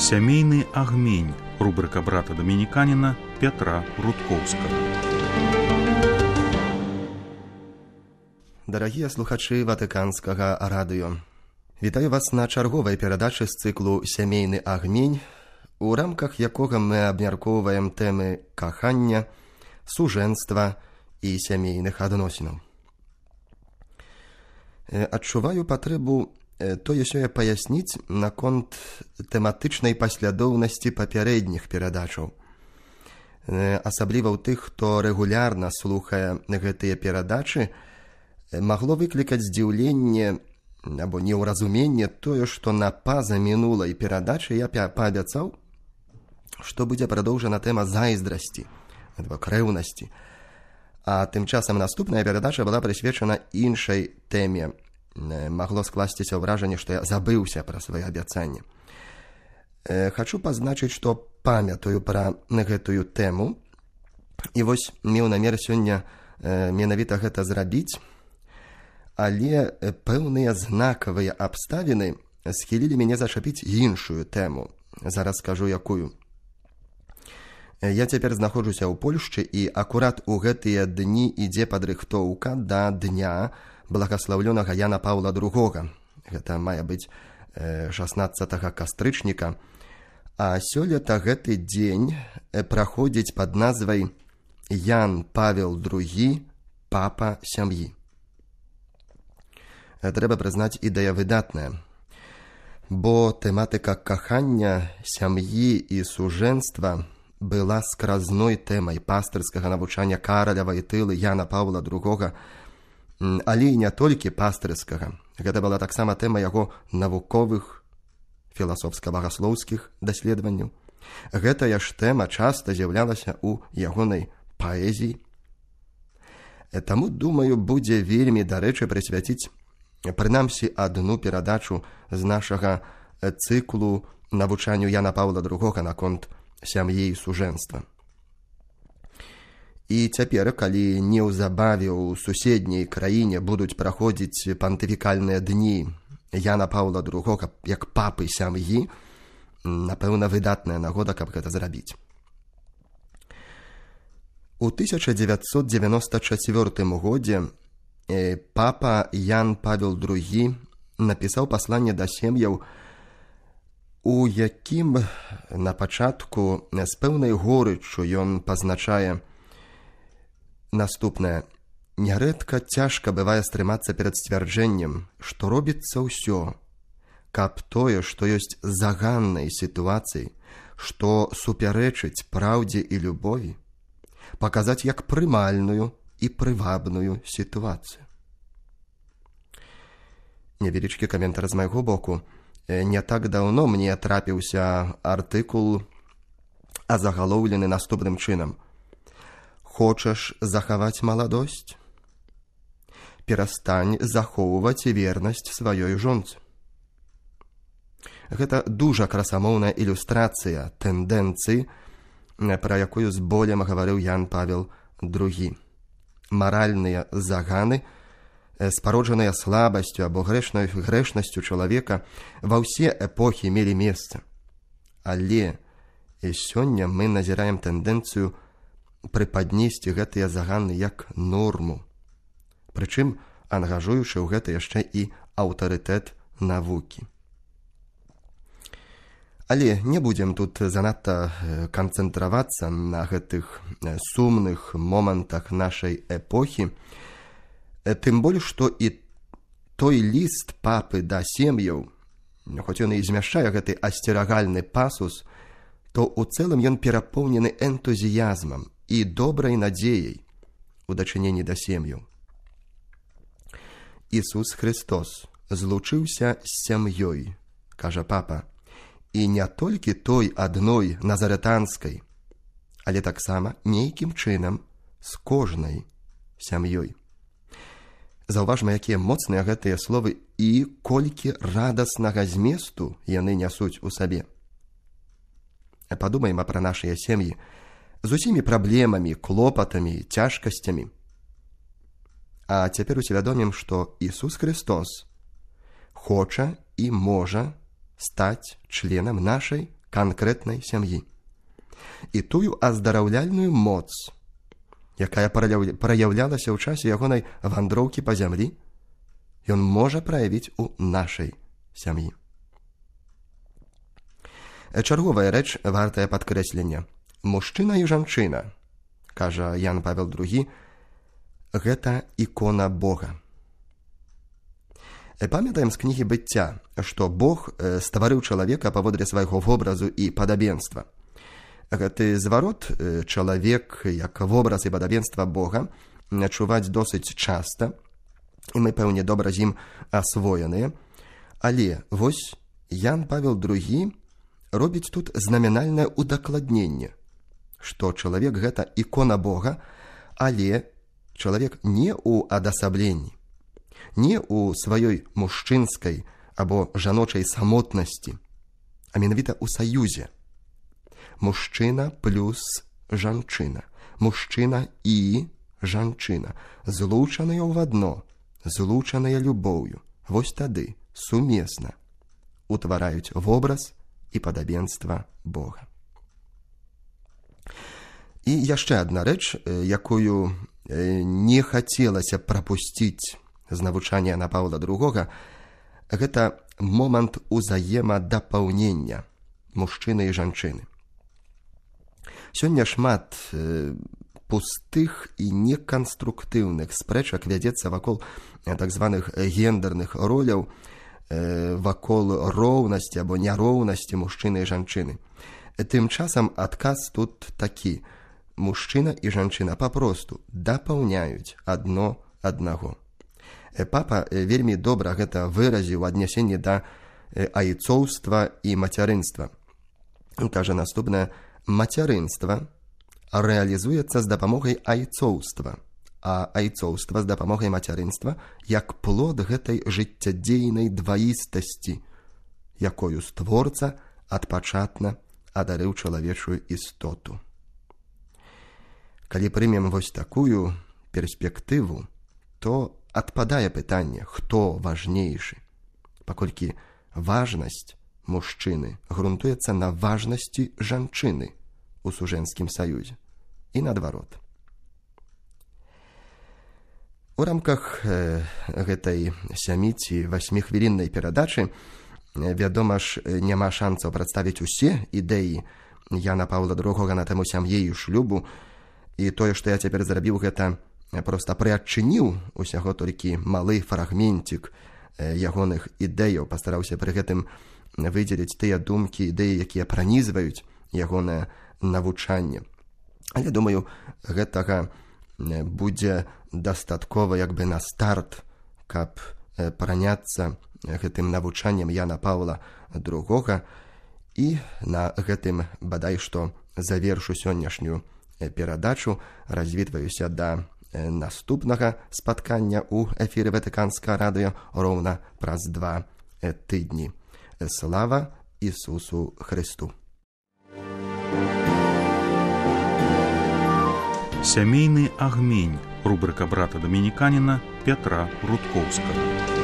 Сямейны агмень. Рубрика брата-дамініканіна Петра Рудкоўскага. Дарагія слухачы Ватыканскага радыё. Вітаю вас на чарговай перадачы з цыклу «Сямейны агмень», у рамках якога мы абмяркоўваем тэмы кахання, сужэнства і сямейных адносінаў. Адчуваю патрэбу тое-сёе паясніць наконт тэматычнай паслядоўнасці папярэдніх перадачаў. Асабліва ў тых, хто рэгулярна слухае гэтыя перадачы, магло выклікаць здзіўленне або неўразуменне тое, што на пазамінулай перадачы я паабяцаў, што будзе прадоўжана тэма зайздрасці, крэўнасці. А тым часам наступная перадача была прысвечана іншай тэме. Магло скласціся ўражанне, што я забыўся пра свае абяцанні. Хачу пазначыць, што памятаю пра гэтую тэму, і вось меў намер сёння менавіта гэта зрабіць, але пэўныя знакавыя абставіны схілілі мяне зачапіць іншую тэму. Зараз скажу, якую. Я цяпер знаходжуся ў Польшчы, і акурат у гэтыя дні ідзе падрыхтоўка да дня благаслаўлёнага Яна Паўла II. Гэта мае быць 16 кастрычніка. А сёлета гэты дзень праходзіць пад назвай Ян Павел II, папа сям'і. Трэба прызнаць, ідэя выдатная, бо тэматыка кахання, сям'і і сужэнства была скразной тэмай пастырскага навучання Караля Вайтылы Яна Паўла II, але і не толькі пастырскага. Гэта была таксама тэма яго навуковых, філасофска-багаслоўскіх даследаванняў. Гэтая ж тэма часта з'яўлялася ў ягонай паэзіі. Таму, думаю, будзе вельмі дарэчы прысвяціць прынамсі адну перадачу з нашага цыклу навучанню Яна Паўла II наконт сям'і і сужэнства. І цяпер, калі неўзабаве ў суседняй краіне будуць праходзіць пантыфікальныя дні Яна Паўла II як папы сям'і, напэўна, выдатная нагода, каб гэта зрабіць. У 1994 годзе папа Ян Павел II напісаў пасланне да сем'яў, у якім на пачатку з пэўнай горыччу ён пазначае наступнае. Нярэдка цяжка бывае стрымацца перад сцвярджэннем, што робіцца ўсё, каб тое, што ёсць заганнай сітуацыі, што супярэчыць праўдзе і любові, паказаць як прымальную і прывабную сітуацыю. Невялічкі каментар з майго боку. Не так даўно мне трапіўся артыкул, азагалоўлены наступным чынам. Хочаш захаваць маладосць? Перастань захоўваць вернасць сваёй жонцы. Гэта дужа красамоўная ілюстрацыя тэндэнцыі, пра якую з болем гаварыў Ян Павел II. Маральныя заганы, спароджаныя слабасцю або грэшнасцю чалавека, ва ўсе эпохі мелі месца. Але сёння мы назіраем тэндэнцыю прыпаднесці гэтыя заганы як норму, прычым ангажуючы ў гэта яшчэ і аўтарытэт навукі. Але не будзем тут занадта канцэнтравацца на гэтых сумных момантах нашай эпохі, тым больш, што і той ліст папы да сем'яў, хоць ён і змяшчае гэты асцерагальны пасус, то ў цэлым ён перапоўнены энтузіязмам і добрай надзеяй у дачыненні да сем'яў. Ісус Христос злучыўся з сям'ёй, кажа папа, і не толькі той адной назарэтанскай, але таксама нейкім чынам з кожнай сям'ёй. Заўважма, якія моцныя гэтыя словы і колькі радаснага зместу яны нясуць у сабе. Падумаем пра нашыя сем'і з усімі праблемамі, клопатамі, цяжкасцямі. А цяпер усвядомім, што Ісус Христос хоча і можа стаць членам нашай канкрэтнай сям'і. І тую аздараўляльную моц, якая праяўлялася ў часе ягонай вандроўкі па зямлі, ён можа праявіць у нашай сям'і. Чарговая рэч вартая падкрэслення. Мужчына і жанчына, кажа Ян Павел II, гэта ікона Бога. Памятаем з кнігі «Быцця», што Бог стварыў чалавека паводле свайго вобразу і падабенства. Гэты зварот чалавек як вобраз і падабенства Бога чуваць досыць часта, і мы, пэўне, добра з ім асвоеныя. Але вось Ян Павел II робіць тут знамінальнае удакладненне, што чалавек гэта ікона Бога, але чалавек не ў адасабленні, не ў сваёй мужчынскай або жаночай самотнасці, а менавіта ў саюзе. Мужчына плюс жанчына, мужчына і жанчына, злучаныя ў адно, злучаныя любоўю. Вось тады сумесна утвараюць вобраз і падабенства Бога. І яшчэ адна рэч, якую не хацелася прапусціць з навучання Яна Паўла II, гэта момант узаемадапаўнення мужчыны і жанчыны. Сёння шмат пустых і неканструктыўных спрэчак вядзецца вакол так званых гендерных роляў, вакол роўнасці або няроўнасці мужчыны і жанчыны. Тым часам адказ тут такі. Мужчына і жанчына папросту дапаўняюць адно аднаго. Папа вельмі добра гэта выразіў у аднясенні да айцоўства і мацярынства. Кажа наступнае: мацярынства рэалізуецца з дапамогай айцоўства, а айцоўства з дапамогай мацярынства як плод гэтай жыццядзейнай дваістасці, якою створца адпачатна адарыў чалавечую істоту. Калі прымем вось такую перспектыву, то адпадае пытанне, хто важнейшы, паколькі важнасць мужчыны грунтуецца на важнасці жанчыны у сужэнскім саюзе і наадварот. У рамках гэтай 7 ці 8-хвіліннай перадачы, вядома ж, няма шанцаў прадставіць усе ідэі Яна Паўла II на тэму сям'і і шлюбу, і тое, што я цяпер зрабіў, гэта проста прыадчыніў усяго толькі малы фрагментик ягоных ідэяў, пастараўся пры гэтым выдзеліць тыя думкі, ідэі, якія пранізваюць ягонае навучанне. Але, думаю, гэтага будзе дастаткова як бы на старт, каб праняцца гэтым навучаннем Яна Паўла II, і на гэтым бадай што завершу сённяшнюю перадачу, развітваюся да наступнага спаткання ў эфіры Ватыканскага радыё роўна праз 2 тыдні. Слава Ісусу Христу! Сямейны агмень. Рубрика брата домініканіна Пятра Рудкоўскага.